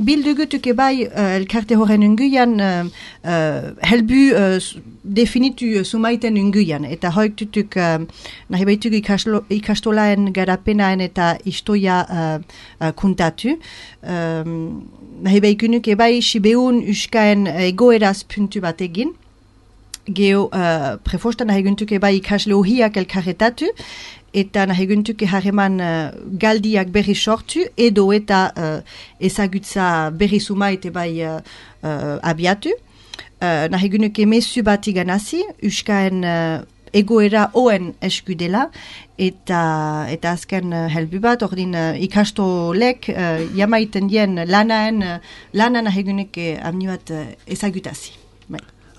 bildugutuk ebai elkarte horren unguian helbu definitu sumaiten unguian. Eta hoik tutuk nahi baitugu ikastolaen garapenaen eta istoia kuntatu. Nahi baikunuk ebai sibeun uskaen egoeraz puntu bat egin. Geo prefostan nahi guntuk ebai ikasle ohiak elkarretatu. Eta nahi guntuke harreman galdiak berri sortu, edo eta ezagutza berri sumait bai abiatu. Nahi guntuke mesu bat iganazi, uskaen egoera oen eskudela, eta azken helbu bat, ordin ikastolek jamaiten dien lana nahi guntuke amni bat ezagutazi.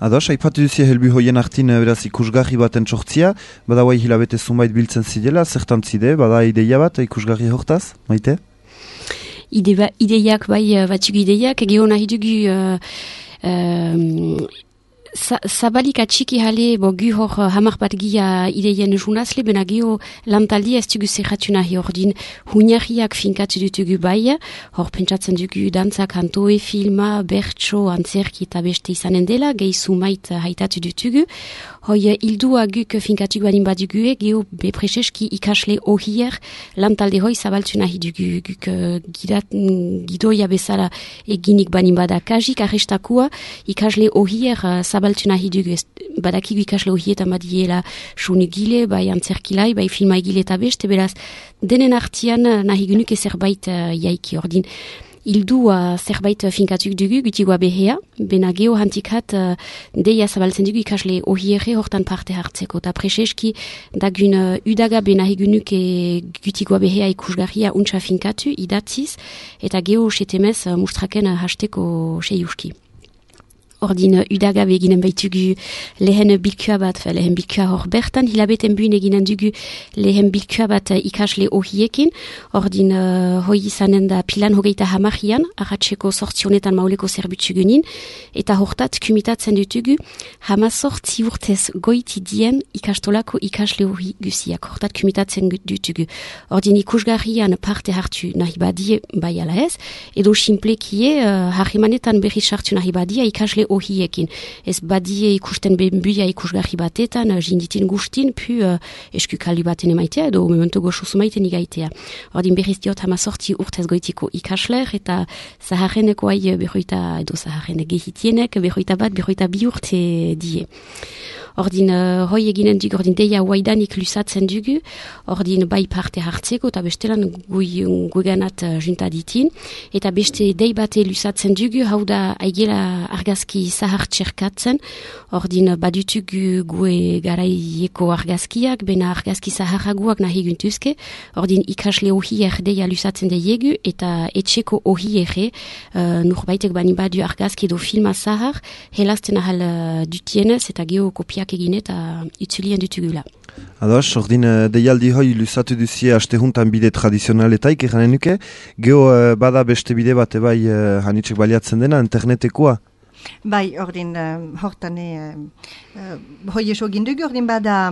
Ados, aipatu duzia helbu hoien artin beraz ikusgarri baten sortzia, bada guai hilabete zumait biltzen zidela, zertan zide, bada ideia bat ikusgarri hortaz, maite? Ideiak bai batzuk ideiak, geho nahi dugu zabalik atxiki hale gu hor hamar bat gia ideien junazle, bena geho lantaldi ez dugu zerratu nahi ordin huñarriak finkatu dutugu bai, hor pentsatzen dugu dantza, kantoe, filma, bertso, antzerki eta beste izanen dela, gehi sumait haitatu dutugu. Hoi hildua guk finkatu banin badugu, geho bepreseski ikasle ohier lantalde hoi zabaltu nahi dugu guk gidoia bezala eginik banin bada kajik arrestakua ikasle ohier zabaltu nahi dugu, badakigu ikasle ohietan badiela sunugile, bai antzerkilai, bai filmaigile eta beste, beraz denen artian nahi genuke zerbait jaiki ordin. Hildua zerbait finkatuk dugu, gutigoa behea, bena geho hantikat deia zabaltzen dugu ikasle ohierre hortan parte hartzeko. Ta preseski dagun udaga bena hegunuke gutigoa behea ikusgarria untsa finkatu, idatziz, eta geho setemez mustraken hasteko seiuski. Ordin udaga beginen baitugu lehen bilkua bat, lehen bilkua hor bertan, hilabeten buin eginen dugu lehen bilkua bat ikasle ohiekin, ordin hoi izanen da pilan hogeita hamarrian, arratseko sortzionetan mauleko zerbutsugunin, eta hortat kumitatzen dutugu hamazortzi urtez goiti dien ikastolako ikasle ohi guziak, hortat kumitatzen dutugu. Ordin ikusgarrian parte hartu nahi badie bai ala ez, edo simplekie harrimanetan berri sartu nahi badia ikasle ohiekin. Ez badie ikusten benbuia ikusgarri batetan, jinditin gustin, pu eskukaldi baten emaitea, edo memento goxo sumaiten igaitea. Ordin berriz diot hamazortzi urtez goitiko ikasler, eta zaharreneko ai berroita, edo zaharrene gehitienek, berroita bat, berroita bi urte die. Ordin hoi eginen dugu, ordin deia waidanik lusatzen dugu, ordin bai parte hartzeko, eta bestelan guganat junta ditin, eta beste dei bate lusatzen dugu, hau da aigela argazki zahar txerkatzen, ordin badutugu gue garaieko argazkiak, bena argazki zaharraguak nahi guntuzke, ordin ikasle ohier deia lusatzen deiegu, eta etxeko ohiere, nurbaitek bani badu argazki edo filma zahar, helazten ahal dutienez, eta geho kopiak egin eta itzulien dutugula. Ados, ordin deialdi hoi lusatu duzie astehuntan bide tradizionaletaik eranen nuke, geho bada beste bide bat ebai hanitzek baliatzen dena, internetekoa? Bai, ordin, hortan hoi eso gindugu, ordin bada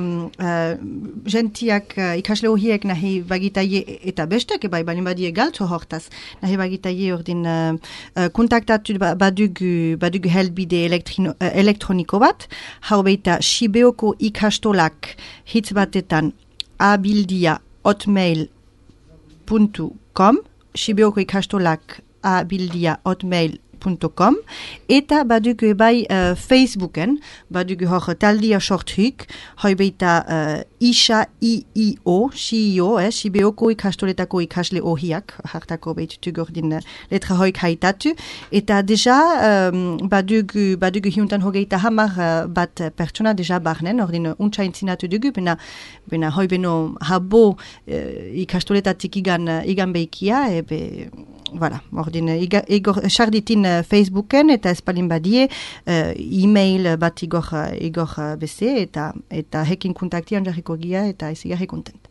gentiak ikasle horiek nahi bagitaie eta bestek, bai, balin badie galtzo hortaz, nahi bagitaie ordin kontaktatu badugu helbide elektroniko bat, hau beita Sibeoko ikastolak hitz batetan abildia@hotmail.com, Sibeoko ikastolak abildia@hotmail.com, eta badugu bai Facebooken, badugu hor taldia sortuk, hoi beita Isha IIO, Sibeoko ikastoletako ikasle ohiak, hartako beitutu gordin letra hoik haitatu, eta deja badugu hiuntan hogeita hamar bat pertsona deja barnen, ordin untsa intzinatu dugu, bena hoi beno habo ikastoletatik igan beikia, voilà, ordin sarditin Facebooken eta espalin badie e-mail bat igor beze eta hekin kontaktian jarriko gia eta ez igarri kontent.